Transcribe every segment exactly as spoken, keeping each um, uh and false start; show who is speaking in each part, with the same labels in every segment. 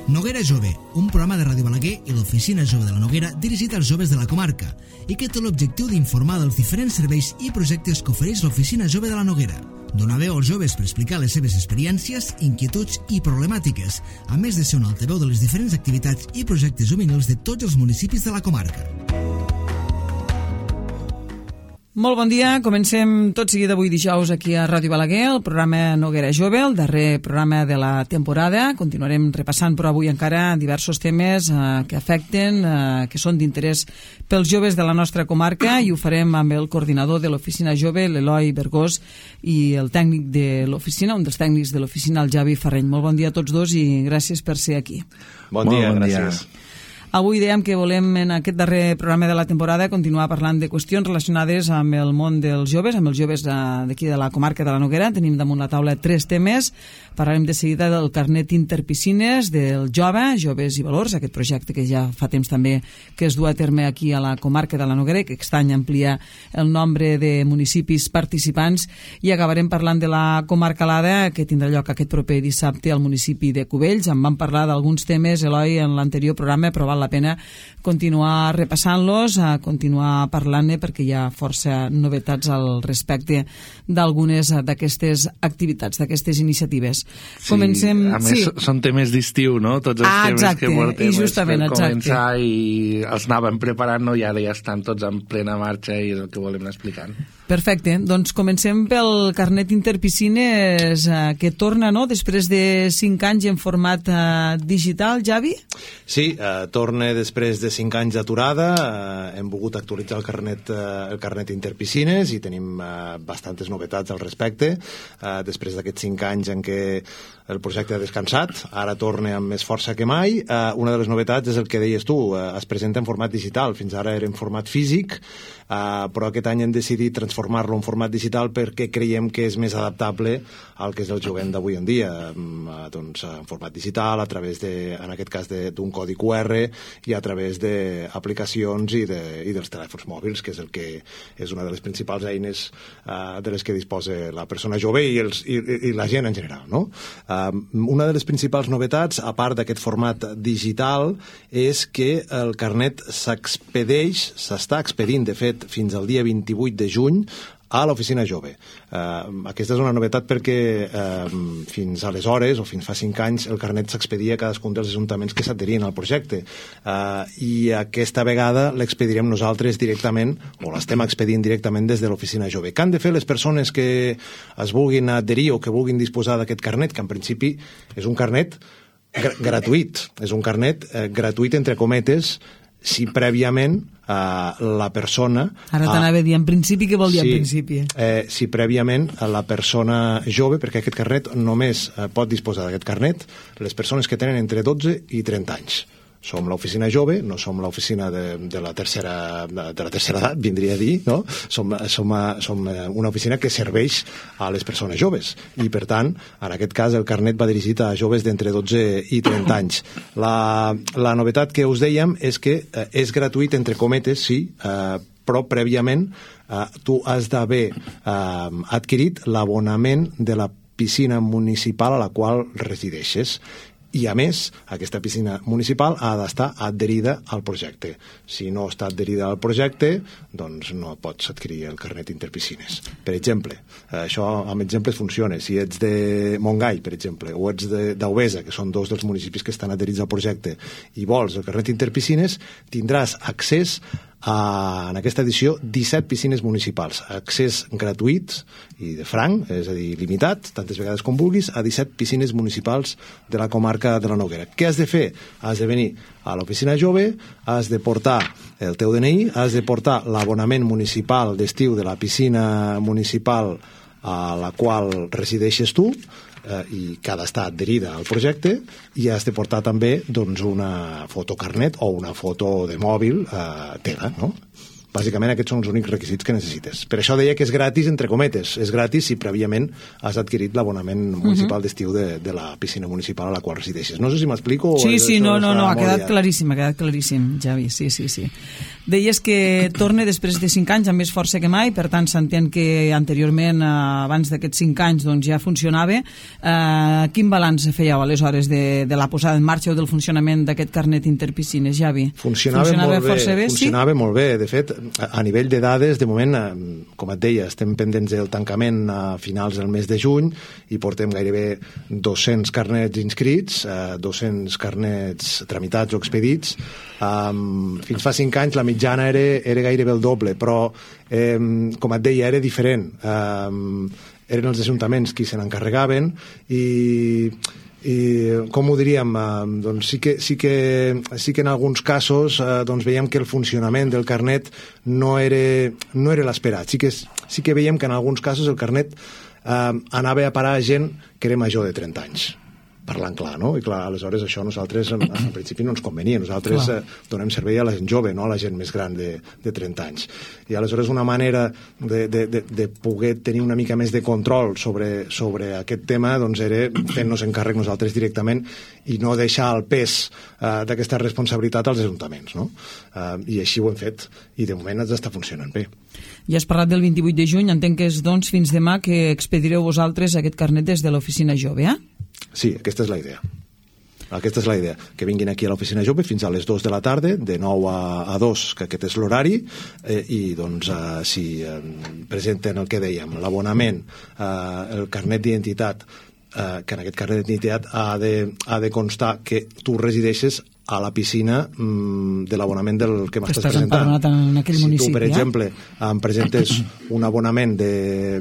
Speaker 1: Noguera Jove, un programa de Ràdio Balaguer i l'Oficina Jove de la Noguera dirigit als joves de la comarca i que té l'objectiu d'informar dels diferents serveis i projectes que ofereix l'Oficina Jove de la Noguera. Donar veu als joves per explicar les seves experiències, inquietuds i problemàtiques, a més de ser un altaveu de les diferents activitats i projectes juvenils de tots els municipis de la comarca.
Speaker 2: Molt bon dia, comencem tot seguit avui dijous aquí a Ràdio Balaguer, el programa Noguera Jove, el darrer programa de la temporada. Continuarem repassant però avui encara diversos temes eh, que afecten, eh, que són d'interès pels joves de la nostra comarca, i ho farem amb el coordinador de l'Oficina Jove, l'Eloi Bergós, i el tècnic de l'oficina, un dels tècnics de l'oficina, el Javi Ferreny. Molt bon dia a tots dos i gràcies per ser aquí.
Speaker 3: Bon dia, bon gràcies. Dia.
Speaker 2: Avui dèiem que volem, en aquest darrer programa de la temporada, continuar parlant de qüestions relacionades amb el món dels joves, amb els joves d'aquí de la comarca de la Noguera. Tenim damunt la taula tres temes. Parlarem de seguida del carnet interpiscines, del jove, Joves i Valors, aquest projecte que ja fa temps també que es du a terme aquí a la comarca de la Noguera i que aquest any amplia el nombre de municipis participants. I acabarem parlant de la comarcalada, que tindrà lloc aquest proper dissabte al municipi de Cubells. En vam parlar d'alguns temes, Eloi, en l'anterior programa, però val la pena continuar repassant-los, a continuar parlant-ne, perquè hi ha força novetats al respecte d'algunes d'aquestes activitats, d'aquestes iniciatives.
Speaker 3: Sí,
Speaker 2: Comencem...
Speaker 3: a més
Speaker 2: sí.
Speaker 3: Són temes d'estiu, no? Tots els
Speaker 2: ah,
Speaker 3: temes
Speaker 2: exacte,
Speaker 3: que portem
Speaker 2: i justament,
Speaker 3: per
Speaker 2: exacte.
Speaker 3: començar, i els anàvem preparant, no? I ara ja estan tots en plena marxa i és el que volem anar explicant.
Speaker 2: Perfecte, doncs comencem pel carnet interpiscines eh, que torna, no?, després de cinc anys en format eh, digital, Javi?
Speaker 4: Sí, eh, torna després de cinc anys d'aturada. Eh, hem volgut actualitzar el carnet, eh, el carnet interpiscines i tenim eh, bastantes novetats al respecte. Eh, després d'aquests cinc anys en què el projecte ha descansat, ara torna amb més força que mai. Eh, una de les novetats és el que deies tu, eh, es presenta en format digital. Fins ara era en format físic, eh, però aquest any hem decidit transformar-lo en format digital perquè creiem que és més adaptable al que és el jovent d'avui en dia. Eh, doncs en format digital, a través de, en aquest cas d'un codi cu erre i a través d'aplicacions i, de, i dels telèfons mòbils, que és el que és una de les principals eines eh, de les que disposa la persona jove i, els, i, i la gent en general, no? Una de les principals novetats, a part d'aquest format digital, és que el carnet s'expedeix, s'està expedint, de fet, fins al dia vint-i-vuit de juny, a l'Oficina Jove. Uh, aquesta és una novetat perquè uh, fins aleshores, o fins fa cinc anys, el carnet s'expedia a cadascun dels ajuntaments que s'adherien al projecte. Uh, I aquesta vegada l'expedirem nosaltres directament, o l'estem expedint directament des de l'Oficina Jove. Què han de fer les persones que es vulguin adherir o que vulguin disposar d'aquest carnet, que en principi és un carnet gr gratuït, és un carnet eh, gratuït entre cometes, si prèviament eh, la persona...
Speaker 2: Ara t'anava a dir, en principi, què vol dir
Speaker 4: sí,
Speaker 2: en principi?
Speaker 4: Eh, si prèviament la persona jove, perquè aquest carnet només eh, pot disposar d'aquest carnet les persones que tenen entre dotze i trenta anys. Som l'oficina jove, no som l'oficina de, de, la tercera, de, de la tercera edat, vindria a dir, no? Som, som, som una oficina que serveix a les persones joves i, per tant, en aquest cas el carnet va dirigit a joves d'entre dotze i trenta anys. La, la novetat que us dèiem és que eh, és gratuït, entre cometes, sí, eh, però prèviament eh, tu has d'haver eh, adquirit l'abonament de la piscina municipal a la qual resideixes. I, a més, aquesta piscina municipal ha d'estar adherida al projecte. Si no està adherida al projecte, doncs no pots adquirir el carnet interpiscines. Per exemple, això amb exemples funciona. Si ets de Montgai, per exemple, o ets d'Auvesa, que són dos dels municipis que estan adherits al projecte, i vols el carnet interpiscines, tindràs accés a, en aquesta edició, disset piscines municipals. Accés gratuït i de franc, és a dir, limitat, tantes vegades com vulguis, a disset piscines municipals de la comarca de la Noguera. Què has de fer? Has de venir a l'oficina jove, has de portar el teu de ena i, has de portar l'abonament municipal d'estiu de la piscina municipal a la qual resideixes tu, eh, i que ha d'estar adherida al projecte, i has de portar també doncs, una fotocarnet o una foto de mòbil eh, teva, no? Bàsicament aquests són els únics requisits que necessites. Per això deia que és gratis, entre cometes. És gratis si prèviament has adquirit l'abonament municipal uh-huh. d'estiu de, de la piscina municipal a la qual resideixes. No sé si m'explico.
Speaker 2: Sí, sí, no, no, no, ha quedat claríssim, ha quedat claríssim, Javi, sí, sí, sí. Deies que torna després de cinc anys amb més força que mai, per tant s'entén que anteriorment, eh, abans d'aquests cinc anys, doncs, ja funcionava. Eh, quin balanç fèieu aleshores de, de la posada en marxa o del funcionament d'aquest carnet interpiscines, Javi?
Speaker 4: Funcionava, funcionava molt bé, bé funcionava sí? molt bé. De fet, a nivell de dades, de moment, com et deia, estem pendents del tancament a finals del mes de juny i portem gairebé dos-cents carnets inscrits, eh, dos-cents carnets tramitats o expedits. Um, fins fa cinc anys la mitjana era, era gairebé el doble, però eh, com et deia, era diferent. Um, eren els ajuntaments qui se n'encarregaven i, i com ho diríem, uh, doncs sí que, sí que, sí que en alguns casos uh, doncs veiem que el funcionament del carnet no era, no era l'esperat. Sí que, sí que veiem que en alguns casos el carnet uh, anava a parar a gent que era major de trenta anys, parlant clar, no? I clar, aleshores això a nosaltres en, en principi no ens convenia. Nosaltres eh, donem servei a la gent jove, no a la gent més gran de, de trenta anys. I aleshores una manera de, de, de, de poder tenir una mica més de control sobre, sobre aquest tema doncs era fent-nos encàrrec nosaltres directament i no deixar el pes eh, d'aquesta responsabilitat als ajuntaments, no? Eh, I així ho hem fet i de moment ens està funcionant bé.
Speaker 2: Ja has parlat del vint-i-vuit de juny, entenc que és doncs fins demà que expedireu vosaltres aquest carnet des de l'oficina jove, eh?
Speaker 4: Sí, aquesta és la idea. Aquesta és la idea, que vinguin aquí a l'oficina jove fins a les dues de la tarda, de nou a dos, que aquest és l'horari, eh, i doncs eh, si eh, presenten el que dèiem, l'abonament, eh, el carnet d'identitat, eh, que en aquest carnet d'identitat ha de, ha de constar que tu resideixes a la piscina mm, de l'abonament del que m'estàs presentant.
Speaker 2: En aquell
Speaker 4: si
Speaker 2: municipi,
Speaker 4: tu, per
Speaker 2: eh?
Speaker 4: exemple, em presentes un abonament de,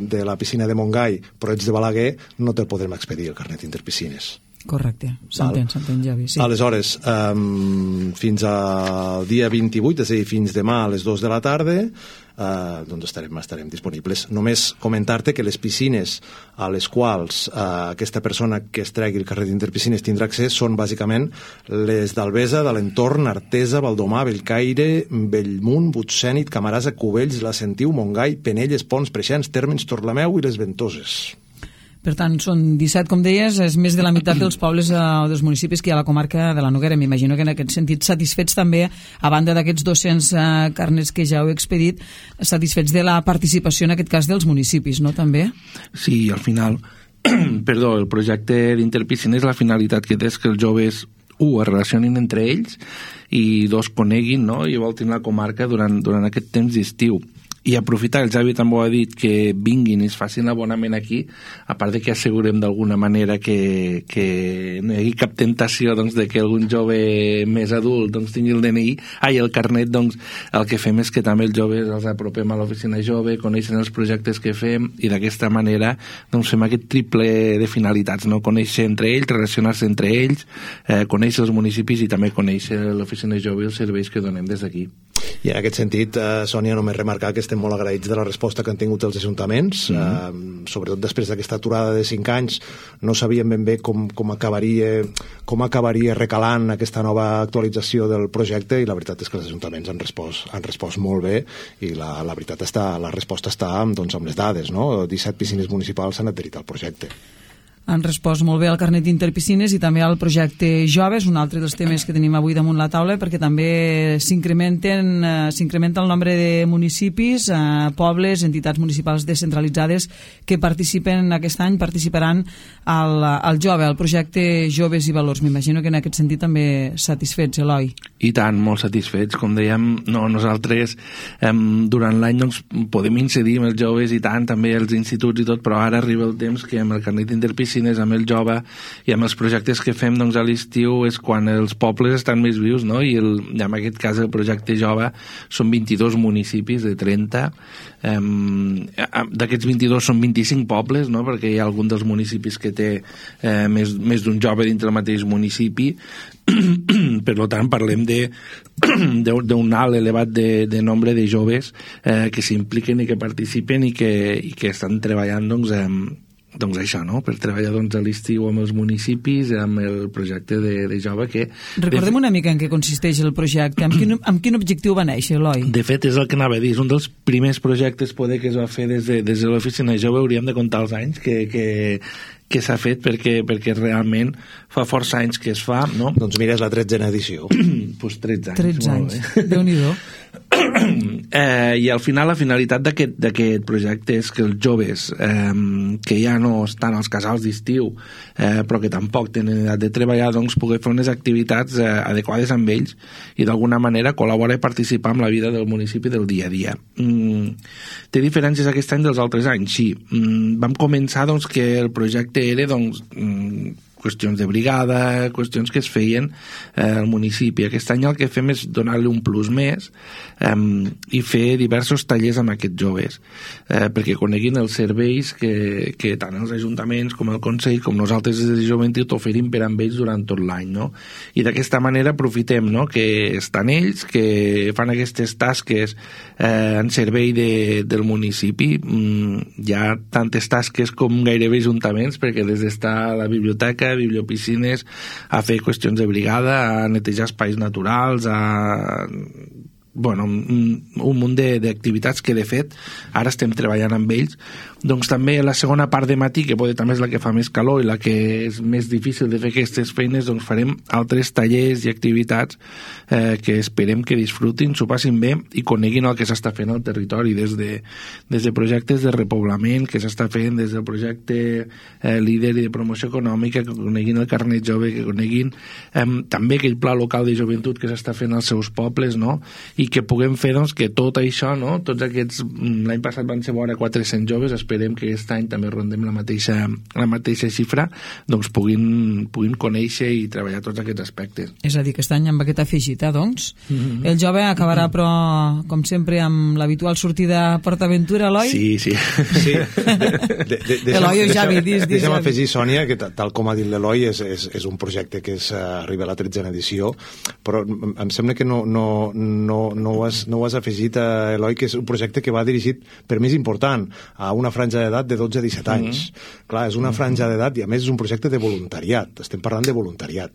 Speaker 4: de la piscina de Montgai però ets de Balaguer, no te'l podrem expedir el carnet interpiscines.
Speaker 2: Correcte, s'entén, s'entén, Javi. Sí.
Speaker 4: Aleshores, um, fins al dia vint-i-vuit, és a dir, fins demà a les dues de la tarda, uh, doncs estarem, estarem disponibles. Només comentar-te que les piscines a les quals uh, aquesta persona que es tregui el carnet d'interpiscines tindrà accés són bàsicament les d'Albesa, de l'entorn, Artesa, Valdomar, Bellcaire, Bellmunt, Butxènit, Camarasa, Cubells, La Sentiu, Montgai, Penelles, Pons, Preixens, Térmens, Torlameu i les Ventoses.
Speaker 2: Per tant, són disset, com deies, és més de la meitat dels pobles o eh, dels municipis que hi ha a la comarca de la Noguera. M'imagino que en aquest sentit satisfets també, a banda d'aquests dos-cents eh, carnets que ja heu expedit, satisfets de la participació en aquest cas dels municipis, no, també?
Speaker 3: Sí, al final, perdó, el projecte d'Interpiscines, la finalitat que té és que els joves, u, es relacionin entre ells i dos, coneguin, no?, i voltin la comarca durant, durant aquest temps d'estiu. I aprofitar, el Javi també ho ha dit, que vinguin i es facin l'abonament aquí, a part de que assegurem d'alguna manera que, que no hi hagi cap tentació doncs, de que algun jove més adult doncs, tingui el D N I, ai, el carnet, doncs el que fem és que també els joves els apropem a l'oficina jove, coneixen els projectes que fem i d'aquesta manera doncs, fem aquest triple de finalitats, no? Conèixer entre ells, relacionar-se entre ells, eh, conèixer els municipis i també conèixer l'oficina jove i els serveis que donem des d'aquí.
Speaker 4: I en aquest sentit, eh, Sònia, només remarcar que estem molt agraïts de la resposta que han tingut els ajuntaments, mm -hmm. eh, sobretot després d'aquesta aturada de cinc anys, no sabíem ben bé com, com, acabaria, com acabaria recalant aquesta nova actualització del projecte i la veritat és que els ajuntaments han respost, han respost molt bé i la, la veritat està, la resposta està doncs, amb les dades, no? disset piscines municipals s'han adherit al projecte.
Speaker 2: Han respost molt bé al carnet d'interpiscines i també al projecte Joves, un altre dels temes que tenim avui damunt la taula, perquè també s'incrementen eh, s'incrementa el nombre de municipis, eh, pobles, entitats municipals descentralitzades que participen aquest any, participaran al, al Jove, al projecte Joves i Valors. M'imagino que en aquest sentit també satisfets, Eloi.
Speaker 3: I tant, molt satisfets. Com dèiem, no, nosaltres eh, durant l'any doncs, podem incidir amb els joves i tant, també els instituts i tot, però ara arriba el temps que amb el carnet d'interpiscines, amb el jove i amb els projectes que fem doncs, a l'estiu és quan els pobles estan més vius, no? I, el, i en aquest cas el projecte jove són vint-i-dos municipis de trenta, um, d'aquests vint-i-dos són vint-i-cinc pobles, no? Perquè hi ha algun dels municipis que té eh, més, més d'un jove dintre el mateix municipi. Per tant parlem d'un alt elevat de, de nombre de joves eh, que s'impliquen i que participen i que, i que estan treballant doncs, eh, doncs això, no? Per treballar doncs, a l'estiu amb els municipis, amb el projecte de, de jove que...
Speaker 2: Recordem una mica en què consisteix el projecte, amb quin, amb quin objectiu va néixer, Eloi?
Speaker 3: De fet, és el que anava a dir, és un dels primers projectes poder que es va fer des de, des de l'oficina jove, hauríem de comptar els anys que, que, que s'ha fet perquè, perquè realment fa força anys que es fa, no?
Speaker 4: Doncs mira, és la tretzena edició.
Speaker 3: Doncs pues tretze anys.
Speaker 2: tretze anys, Déu-n'hi-do.
Speaker 3: eh, i al final la finalitat d'aquest projecte és que els joves eh, que ja no estan als casals d'estiu eh, però que tampoc tenen edat de treballar doncs poder fer unes activitats eh, adequades amb ells i d'alguna manera col·laborar i participar en la vida del municipi del dia a dia. Mm, té diferències aquest any dels altres anys? Sí. Mm, vam començar doncs, que el projecte era doncs, mm, qüestions de brigada, qüestions que es feien eh, al municipi. Aquest any el que fem és donar-li un plus més eh, i fer diversos tallers amb aquests joves eh, perquè coneguin els serveis que, que tant els ajuntaments com el Consell com nosaltres des de joventut oferim per amb ells durant tot l'any, no? I d'aquesta manera aprofitem, no?, que estan ells, que fan aquestes tasques eh, en servei de, del municipi. Mm, hi ha tantes tasques com gairebé ajuntaments, perquè des d'estar a la biblioteca, a bibliopiscines, a fer qüestions de brigada, a netejar espais naturals, a bueno, un, un munt d'activitats que de fet ara estem treballant amb ells. Doncs també la segona part de matí, que poder també és la que fa més calor i la que és més difícil de fer aquestes feines, doncs farem altres tallers i activitats eh, que esperem que disfrutin, s'ho passin bé i coneguin el que s'està fent al territori, des de, des de projectes de repoblament que s'està fent, des del projecte eh, líder i de promoció econòmica, que coneguin el carnet jove, que coneguin eh, també aquell pla local de joventut que s'està fent als seus pobles, no?, i que puguem fer doncs, que tot això, no?, tots aquests, l'any passat van ser vora quatre-cents joves, esperem que aquest any també rondem la mateixa, la mateixa xifra, doncs puguin, puguin conèixer i treballar tots aquests aspectes.
Speaker 2: És a dir, que aquest any amb aquest afegit, eh, doncs, mm-hmm. el jove acabarà, però, com sempre, amb l'habitual sortida a PortAventura, Eloi?
Speaker 3: Sí, sí. sí.
Speaker 2: De, de, de, Eloi o Javi, dis, dis.
Speaker 4: Deixa'm afegir, Sònia, que tal com ha dit l'Eloi, és, és, és un projecte que és, uh, arriba a la tretzena edició, però em sembla que no, no, no, no, ho has, no ho has afegit, uh, Eloi, que és un projecte que va dirigit, per més important, a una franja d'edat de dotze a disset anys. Mm-hmm. Clar, és una franja d'edat i a més és un projecte de voluntariat. Estem parlant de voluntariat.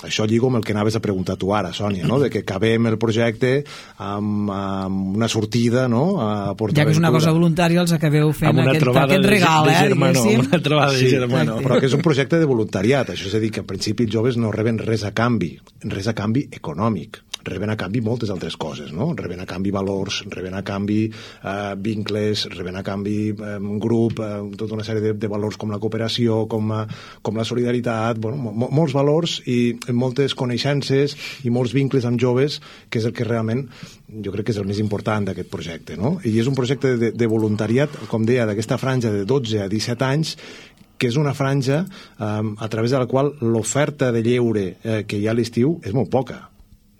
Speaker 4: Això lligo amb el que anaves a preguntar tu ara, Sònia, no?, de que acabem el projecte amb, amb una sortida, no?, a PortAventura.
Speaker 2: Ja que és una cosa voluntària, els acabeu fent aquest, aquest regal,
Speaker 3: de, de germano,
Speaker 2: eh?
Speaker 3: Una trobada de germano.
Speaker 4: Però que és un projecte de voluntariat. Això és a dir, que en principi els joves no reben res a canvi, res a canvi econòmic. Reben a canvi moltes altres coses, no? Reben a canvi valors, reben a canvi eh, vincles, reben a canvi eh, un grup, eh, tota una sèrie de, de valors com la cooperació, com, a, com la solidaritat, bueno, mo molts valors i moltes coneixences i molts vincles amb joves, que és el que realment jo crec que és el més important d'aquest projecte, no? I és un projecte de, de voluntariat, com deia, d'aquesta franja de dotze a disset anys, que és una franja eh, a través de la qual l'oferta de lleure eh, que hi ha a l'estiu és molt poca.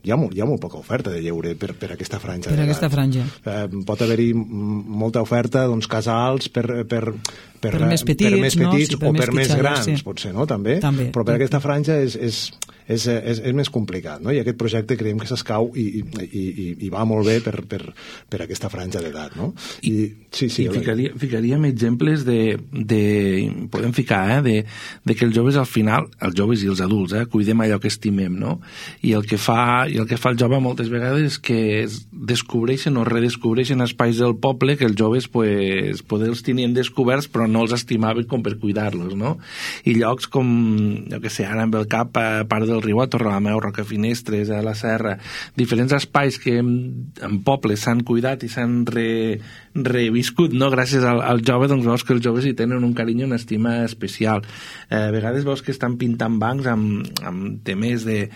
Speaker 4: Hi ha, molt, hi ha molt poca oferta de lleure per, per aquesta franja.
Speaker 2: Per aquesta franja.
Speaker 4: Eh, pot haver-hi molta oferta, doncs, casals per, per, per,
Speaker 2: per més petits,
Speaker 4: per més petits
Speaker 2: no? Sí, per
Speaker 4: o
Speaker 2: més
Speaker 4: per més
Speaker 2: pitjades,
Speaker 4: grans,
Speaker 2: sí.
Speaker 4: potser, no? També.
Speaker 2: També.
Speaker 4: Però per aquesta franja és, és, és, és, és més complicat, no? I aquest projecte creiem que s'escau i, i, i, i va molt bé per, per, per aquesta franja d'edat, no? I, I, sí, sí,
Speaker 3: i ficaria, ficaríem exemples de, de podem ficar, eh, de, de que els joves al final, els joves i els adults, eh, cuidem allò que estimem, no? I el que fa, i el que fa el jove moltes vegades és que es descobreixen o redescobreixen espais del poble que els joves pues, poder els tenien descoberts però no els estimaven com per cuidar-los, no? I llocs com, jo que sé, ara amb el cap a part del riu, a Torrelameu, Rocafinestres, a la Serra, diferents espais que en, en pobles s'han cuidat i s'han re, reviscut, no? Gràcies al, al jove, doncs veus que els joves hi tenen un carinyo i una estima especial. Eh, a vegades veus que estan pintant bancs amb, amb temes de,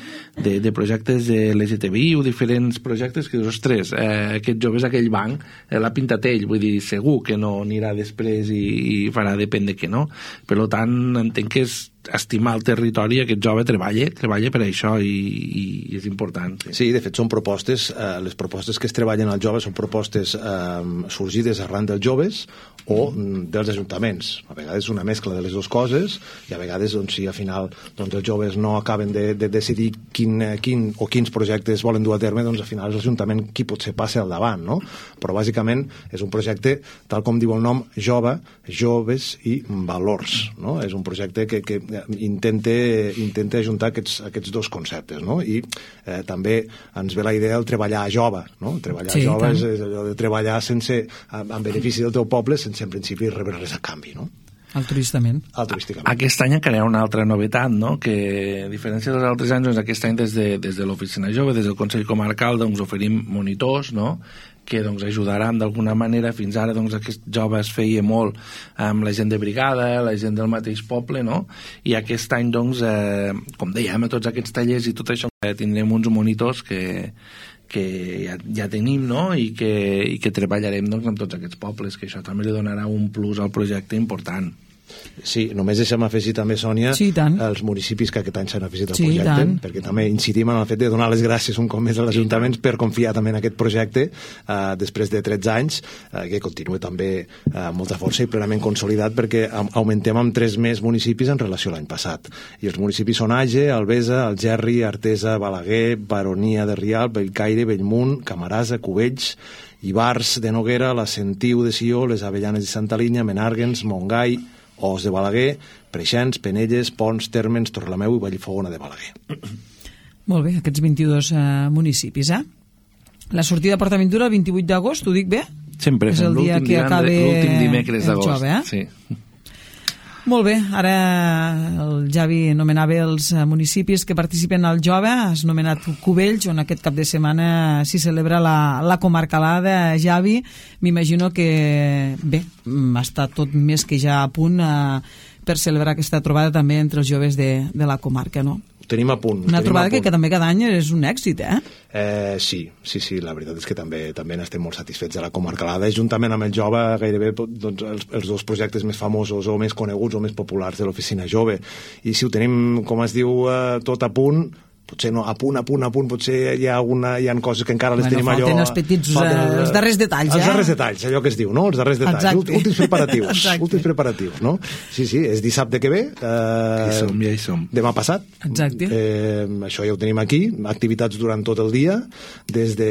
Speaker 3: de, de projectes de l'L G T B I o diferents projectes que dius, ostres, eh, aquest jove és aquell banc, eh, l'ha pintat ell, vull dir, segur que no anirà després i, i farà depèn de què no. Per tant, entenc que és estimar el territori, aquest jove treballa, treballa per això i, i, i és important. Sí.
Speaker 4: sí, de fet són propostes, eh, les propostes que es treballen als joves són propostes eh, sorgides arran dels joves o mm. dels ajuntaments. A vegades una mescla de les dues coses i a vegades, doncs, si al final doncs, els joves no acaben de, de decidir quin, quin o quins projectes volen dur a terme, doncs al final és l'Ajuntament qui potser passa al davant, no? Però bàsicament és un projecte, tal com diu el nom, jove, joves i valors, no? És un projecte que, que intenta, intenta ajuntar aquests, aquests dos conceptes, no? I eh, també ens ve la idea del treballar jove, no? Treballar
Speaker 2: sí,
Speaker 4: jove és, és allò de treballar sense, en benefici del teu poble sense en principi rebre res a canvi, no?
Speaker 2: Altruistament.
Speaker 4: Altruísticament.
Speaker 3: Aquest any encara hi ha una altra novetat, no? Que a diferència dels altres anys, doncs, aquest any des de, des de l'Oficina Jove, des del Consell Comarcal, doncs, oferim monitors, no?, que doncs, ajudaran d'alguna manera. Fins ara doncs, aquest jove es feia molt amb la gent de brigada, la gent del mateix poble, no? I aquest any, doncs, eh, com dèiem, a tots aquests tallers i tot això, eh, tindrem uns monitors que, que ja, ja tenim, no? I que, i que treballarem doncs, amb tots aquests pobles, que això també li donarà un plus al projecte important.
Speaker 4: Sí, només deixem afegir també, Sònia,
Speaker 2: sí,
Speaker 4: els municipis que aquest any s'han afegit al
Speaker 2: sí,
Speaker 4: projecte, perquè també incidim en el fet de donar les gràcies un cop més als ajuntaments per confiar també en aquest projecte eh, després de tretze anys, eh, que continua també eh, amb molta força i plenament consolidat, perquè augmentem amb tres més municipis en relació a l'any passat. I els municipis són Age, Albesa, Algerri, Artesa, Balaguer, Baronia de Rialb, Bellcaire, Bellmunt, Camarasa, Cubells, Ivars de Noguera, la Sentiu de Sió, les Avellanes de Santa Linya, Menàrguens, Montgai, Os de Balaguer, Preixens, Penelles, Pons, Térmens, Torrelameu i Vallfogona de Balaguer.
Speaker 2: Molt bé, aquests vint-i-dos uh, municipis, eh? La sortida a PortAventura el vint-i-vuit d'agost, ho dic bé?
Speaker 3: Sempre,
Speaker 2: és el dia que acaba
Speaker 3: l'últim dimecres d'agost.
Speaker 2: Jove, eh?
Speaker 3: Sí.
Speaker 2: Molt bé, ara el Javi nomenava els municipis que participen al Jove, has nomenat Cubells, on aquest cap de setmana s'hi celebra la, la comarcalada. Javi, m'imagino que bé, està tot més que ja a punt eh, per celebrar aquesta trobada també entre els joves de, de la comarca, no?
Speaker 4: Tenim a punt.
Speaker 2: Una trobada que, que també cada any és un èxit, eh?
Speaker 4: eh? Sí, sí, sí, la veritat és que també també n'estem molt satisfets de la comarcalada. Juntament amb el Jove, gairebé doncs, els, els dos projectes més famosos o més coneguts o més populars de l'Oficina Jove. I si ho tenim, com es diu, eh, tot a punt, potser no, a punt, a punt, a punt, potser hi ha, una, hi ha coses que encara les
Speaker 2: bueno,
Speaker 4: tenim allò...
Speaker 2: Falten els petits, falten, uh, els darrers detalls,
Speaker 4: els
Speaker 2: eh?
Speaker 4: Els darrers detalls, allò que es diu, no? Els darrers detalls,
Speaker 2: Exacte.
Speaker 4: últims preparatius,
Speaker 2: Exacte.
Speaker 4: últims preparatius, no? Sí, sí, és dissabte que ve. Eh,
Speaker 3: hi som, ja hi som.
Speaker 4: Demà passat.
Speaker 2: Exacte.
Speaker 4: Eh, això ja ho tenim aquí, activitats durant tot el dia, des de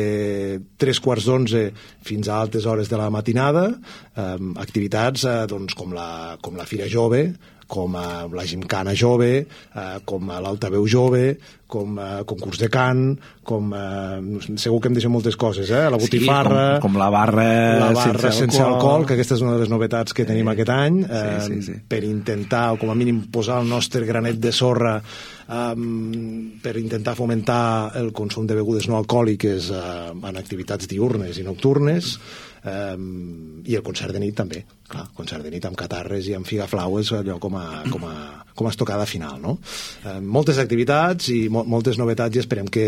Speaker 4: tres quarts d'onze fins a altes hores de la matinada, eh, activitats eh, doncs, com, la, com la Fira Jove, com a la Gimcana Jove, eh, com a l'Altaveu Jove, com a concurs de cant, com a... segur que em deixo moltes coses, eh? La botifarra...
Speaker 3: Sí, com, com la barra,
Speaker 4: la barra sense, sense alcohol. alcohol, que aquesta és una de les novetats que
Speaker 3: sí.
Speaker 4: tenim aquest any, eh,
Speaker 3: sí, sí, sí.
Speaker 4: per intentar, o com a mínim, posar el nostre granet de sorra um, per intentar fomentar el consum de begudes no alcohòliques uh, en activitats diurnes i nocturnes, um, i el concert de nit també, clar, concert de nit amb catarres i amb figaflaues, allò com a, com a, com a estocada final, no? Um, moltes activitats i mo moltes novetats, i esperem que,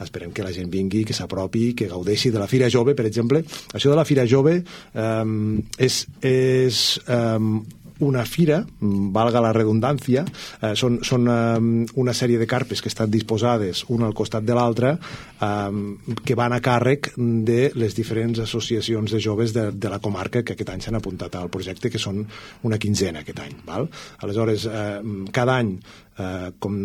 Speaker 4: esperem que la gent vingui, que s'apropi, que gaudeixi de la Fira Jove, per exemple. Això de la Fira Jove um, és, és um, una fira, valga la redundància, eh, són, són um, una sèrie de carpes que estan disposades una al costat de l'altra, um, que van a càrrec de les diferents associacions de joves de, de la comarca que aquest any s'han apuntat al projecte, que són una quinzena aquest any. Val? Aleshores, eh, cada any, eh, com,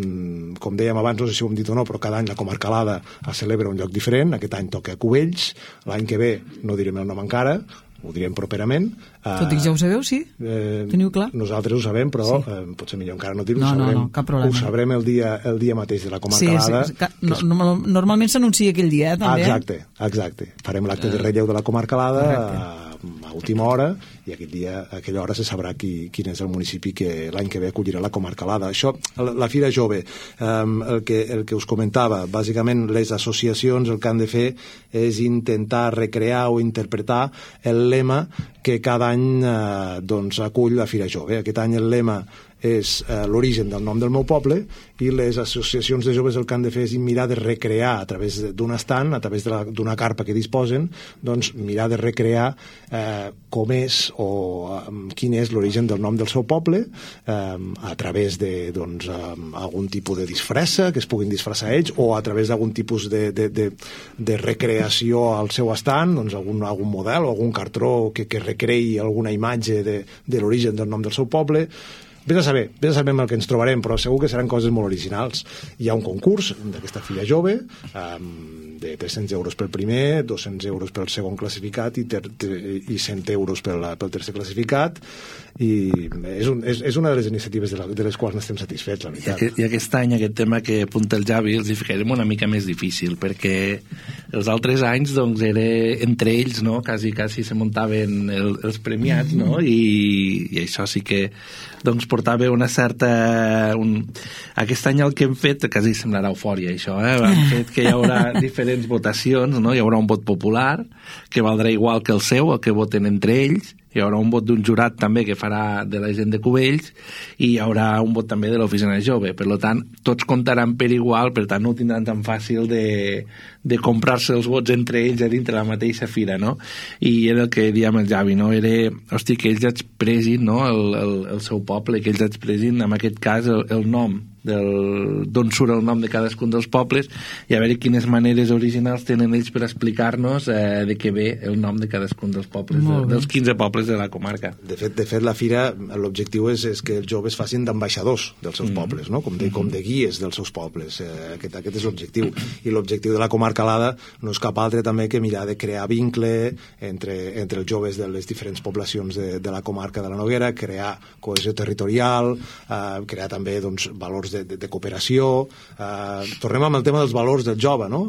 Speaker 4: com dèiem abans, no sé si ho hem dit o no, però cada any la comarcalada es celebra un lloc diferent. Aquest any toca a Cubells, l'any que ve no direm el nom encara, ho direm properament.
Speaker 2: Tot i que ja ho sabeu, sí?
Speaker 4: Eh,
Speaker 2: Teniu clar?
Speaker 4: Nosaltres ho sabem, però sí. eh, potser millor encara no dir-ho.
Speaker 2: No,
Speaker 4: no,
Speaker 2: no, no, cap problema.
Speaker 4: Ho sabrem el dia, el dia mateix de la comarcalada.
Speaker 2: Sí, sí, no, no, normalment s'anuncia aquell dia, eh, també.
Speaker 4: Exacte, exacte. Farem l'acte de relleu de la comarcalada a, a última hora, i aquell dia, a aquella hora se sabrà qui, quin és el municipi que l'any que ve acollirà la comarcalada. Això, la, la Fira Jove, um, el, que, el que us comentava, bàsicament les associacions el que han de fer és intentar recrear o interpretar el lema que cada any eh, doncs, acull la Fira Jove. Aquest any el lema és eh, l'origen del nom del meu poble, i les associacions de joves el que han de fer és mirar de recrear a través d'un estant, a través d'una carpa que disposen, doncs mirar de recrear eh, com és o eh, quin és l'origen del nom del seu poble, eh, a través de doncs, eh, algun tipus de disfressa, que es puguin disfressar ells, o a través d'algun tipus de, de, de, de recreació al seu estant, doncs algun, algun model o algun cartró que, que recreï alguna imatge de, de l'origen del nom del seu poble. vés a saber, vés a saber amb el que ens trobarem, però segur que seran coses molt originals. Hi ha un concurs d'aquesta filla jove, um, de tres-cents euros pel primer, dos-cents euros pel segon classificat i, ter, ter, i cent euros pel, pel tercer classificat, i és, un, és, és una de les iniciatives de, la, de les quals n'estem satisfets, la veritat.
Speaker 3: I, I aquest any, aquest tema que apunta el Javi, els hi ficarem una mica més difícil, perquè els altres anys, doncs, era entre ells, no?, quasi, quasi se muntaven el, els premiats, no?, i, i això sí que, doncs, portava una certa... Un... Aquest any el que hem fet, quasi semblarà eufòria, això, eh?, hem fet que hi haurà diferents votacions, no?, hi haurà un vot popular, que valdrà igual que el seu, el que voten entre ells, hi haurà un vot d'un jurat també que farà de la gent de Cubells i hi haurà un vot també de l'oficina jove. Per tant, tots comptaran per igual, per tant no ho tindran tan fàcil de, de comprar-se els vots entre ells a dintre la mateixa fira, no? I era el que dèiem el Javi, no? Era, hosti, que ells expressin, no?, el, el, el seu poble, que ells expressin, en aquest cas, el, el nom d'on surt el nom de cadascun dels pobles i a veure quines maneres originals tenen ells per explicar-nos eh, de què ve el nom de cadascun dels pobles, de, dels quinze pobles de la comarca.
Speaker 4: De fet, de fet la fira, l'objectiu és, és que els joves facin d'ambaixadors dels seus mm-hmm. pobles, no? com, de, com de guies dels seus pobles. Eh, aquest, aquest és l'objectiu. I l'objectiu de la comarca Alada no és cap altre també que mirar de crear vincle entre, entre els joves de les diferents poblacions de, de la comarca de la Noguera, crear cohesió territorial, eh, crear també doncs, valors de, de, de cooperació. Eh, tornem amb el tema dels valors del jove, no?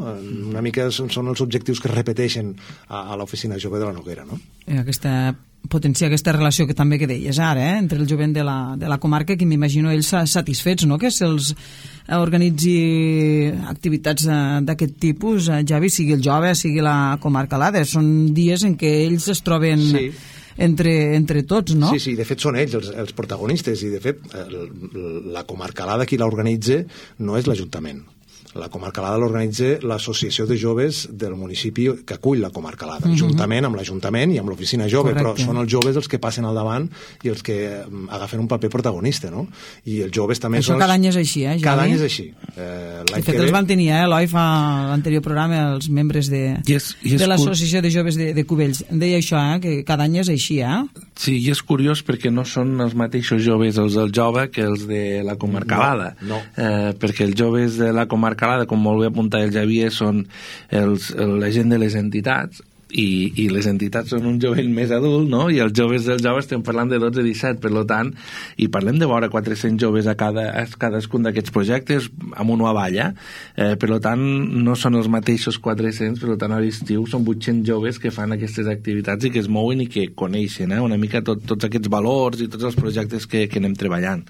Speaker 4: Una mica són, són els objectius que es repeteixen a, a l'oficina jove de la Noguera, no?
Speaker 2: Aquesta potenciar aquesta relació que també que deies ara, eh? entre el jovent de la, de la comarca, que m'imagino ells satisfets, no?, que se'ls organitzi activitats d'aquest tipus, Javi, sigui el jove, sigui la comarca Alada. Són dies en què ells es troben... Sí. Entre, entre tots, no?
Speaker 4: Sí, sí, de fet són ells els, els protagonistes i de fet el, la comarca Alada qui l'organitza no és l'Ajuntament. La comarca Alada l'organitza l'associació de joves del municipi que acull la comarca Alada, uh-huh. juntament amb l'Ajuntament i amb l'oficina jove. Correcte. Però són els joves els que passen al davant i els que agafen un paper protagonista, no? I els joves també
Speaker 2: Això
Speaker 4: són...
Speaker 2: cada any és així, eh?
Speaker 4: Cada any és així. Eh,
Speaker 2: de fet, els van tenir, eh, Eloi, fa l'anterior programa, els membres de,
Speaker 3: és, és
Speaker 2: de l'associació de joves de, de Cubells. Deia això, eh, que cada any és així, eh?
Speaker 3: Sí, i és curiós perquè no són els mateixos joves els del jove que els de la comarca Alada.
Speaker 4: No, no.
Speaker 3: Eh, perquè els joves de la comarca Alada, com molt bé apuntar el Javier, són els, la gent de les entitats, i, i les entitats són un jovent més adult, no? I els joves dels joves estem parlant de dotze a disset, per tant, i parlem de vora quatre-cents joves a, cada, a cadascun d'aquests projectes, amunt o avall, eh, per tant, no són els mateixos quatre-cents, per tant, a l'estiu són vuit-cents joves que fan aquestes activitats i que es mouen i que coneixen, eh, una mica tot, tots aquests valors i tots els projectes que, que anem treballant.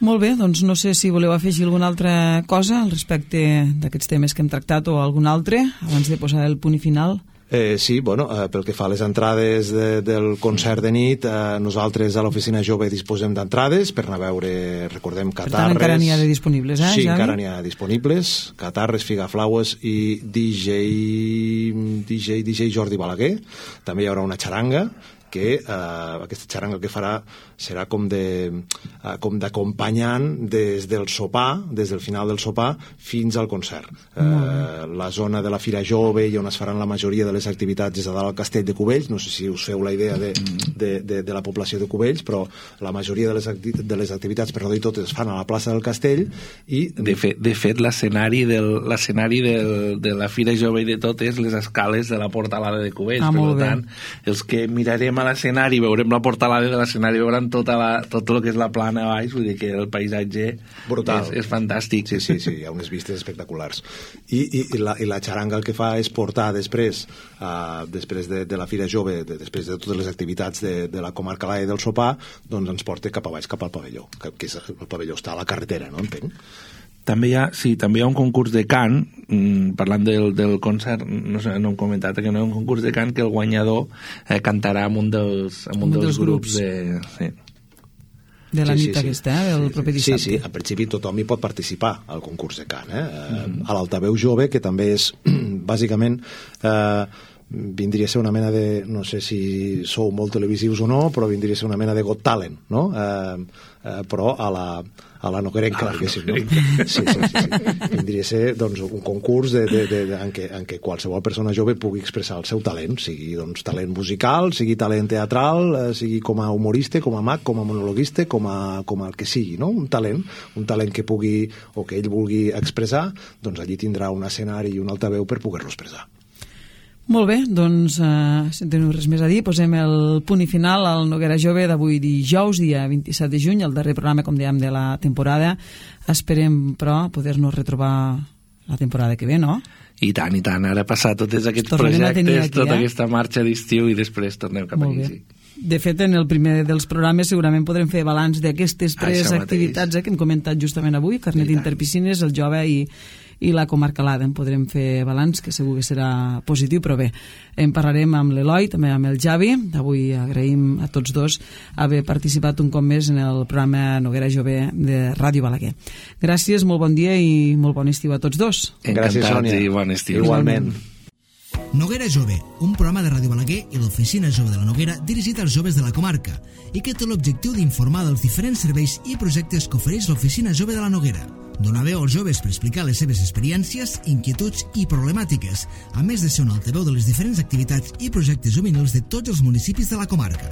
Speaker 2: Molt bé, doncs no sé si voleu afegir alguna altra cosa al respecte d'aquests temes que hem tractat o algun altre, abans de posar el punt i final.
Speaker 4: Eh, sí, bueno, eh, pel que fa a les entrades de, del concert de nit, eh, nosaltres a l'oficina jove disposem d'entrades per anar a veure, recordem, catarres...
Speaker 2: Per tant, encara n'hi ha de disponibles, eh,
Speaker 4: Sí,
Speaker 2: Javi?
Speaker 4: encara n'hi ha disponibles, catarres, figaflaues i D J, D J, D J Jordi Balaguer. També hi haurà una xaranga, que eh, aquesta xaranga el que farà serà com de eh, com d'acompanyant des del sopar, des del final del sopar fins al concert. Eh, la zona de la Fira Jove i on es faran la majoria de les activitats és a dalt al Castell de Cubells. No sé si us feu la idea de, de, de, de la població de Cubells, però la majoria de les, acti de les activitats, per no dir totes, es fan a la plaça del Castell i...
Speaker 3: De fet, de fet l'escenari de la Fira Jove i de totes les escales de la Portalada de Cubells.
Speaker 2: Ah,
Speaker 3: per tant, els que mirarem a l'escenari, veurem la portalada de l'escenari, veurem tota la, tot el que és la plana a baix, vull dir que el paisatge
Speaker 4: brutal.
Speaker 3: És, és fantàstic.
Speaker 4: Sí, sí, sí, hi ha unes vistes espectaculars. I, i, i, la, i la xaranga el que fa és portar després, uh, després de, de la Fira Jove, de, després de totes les activitats de, de la comarca Alada i del sopar, doncs ens porta cap a baix, cap al pavelló, que, que és, el pavelló està a la carretera, no entenc?
Speaker 3: També hi ha, sí, també hi ha un concurs de cant, mmm, parlant del, del concert, no sé, no hem comentat que no hi ha un concurs de cant que el guanyador eh, cantarà amb un dels, amb un
Speaker 2: un
Speaker 3: dels,
Speaker 2: dels
Speaker 3: grups,
Speaker 2: grups.
Speaker 3: de... Sí.
Speaker 2: De la
Speaker 4: sí,
Speaker 2: nit
Speaker 4: sí,
Speaker 2: aquesta, eh, del
Speaker 4: sí,
Speaker 2: proper dissabte.
Speaker 4: Sí, sí, en principi tothom hi pot participar al concurs de cant. Eh? Mm. A l'Altaveu Jove, que també és, bàsicament, eh, vindria a ser una mena de, no sé si sou molt televisius o no, però vindria a ser una mena de Got Talent, no? Eh, eh, però a la, a la noguerenca, diguéssim, no? Sí, sí, sí, sí. Vindria a ser, doncs, un concurs de, de, de, de, en, què, en què qualsevol persona jove pugui expressar el seu talent, sigui, doncs, talent musical, sigui talent teatral, eh, sigui com a humorista, com a mag, com a monologuista, com a, com a el que sigui, no? Un talent, un talent que pugui, o que ell vulgui expressar, doncs allí tindrà un escenari i un altaveu per poder-lo expressar.
Speaker 2: Molt bé, doncs, eh, si no teniu res més a dir, posem el punt i final al Noguera Jove d'avui dijous, dia vint-i-set de juny, el darrer programa, com dèiem, de la temporada. Esperem, però, poder-nos retrobar la temporada que ve, no?
Speaker 3: I tant, i tant. Ara passar tots aquests
Speaker 2: Tornem
Speaker 3: projectes,
Speaker 2: aquí,
Speaker 3: tota
Speaker 2: eh?
Speaker 3: aquesta marxa d'estiu i després tornem cap
Speaker 2: Molt
Speaker 3: aquí.
Speaker 2: bé.
Speaker 3: Sí.
Speaker 2: De fet, en el primer dels programes segurament podrem fer balanç d'aquestes tres
Speaker 3: Això
Speaker 2: activitats eh, que hem comentat justament avui, Carnet d'Interpiscines, el Jove i, i la Comarcalada. En podrem fer balanç, que segur que serà positiu, però bé, en parlarem amb l'Eloi, també amb el Javi. Avui agraïm a tots dos haver participat un cop més en el programa Noguera Jove de Ràdio Balaguer. Gràcies, molt bon dia i molt bon estiu a tots dos.
Speaker 4: Gràcies, Sònia.
Speaker 3: I bon estiu.
Speaker 4: Igualment.
Speaker 1: Noguera Jove, un programa de Ràdio Balaguer i l'Oficina Jove de la Noguera dirigit als joves de la comarca i que té l'objectiu d'informar dels diferents serveis i projectes que ofereix l'Oficina Jove de la Noguera. Donar veu als joves per explicar les seves experiències, inquietuds i problemàtiques, a més de ser un altaveu de les diferents activitats i projectes juvenils de tots els municipis de la comarca.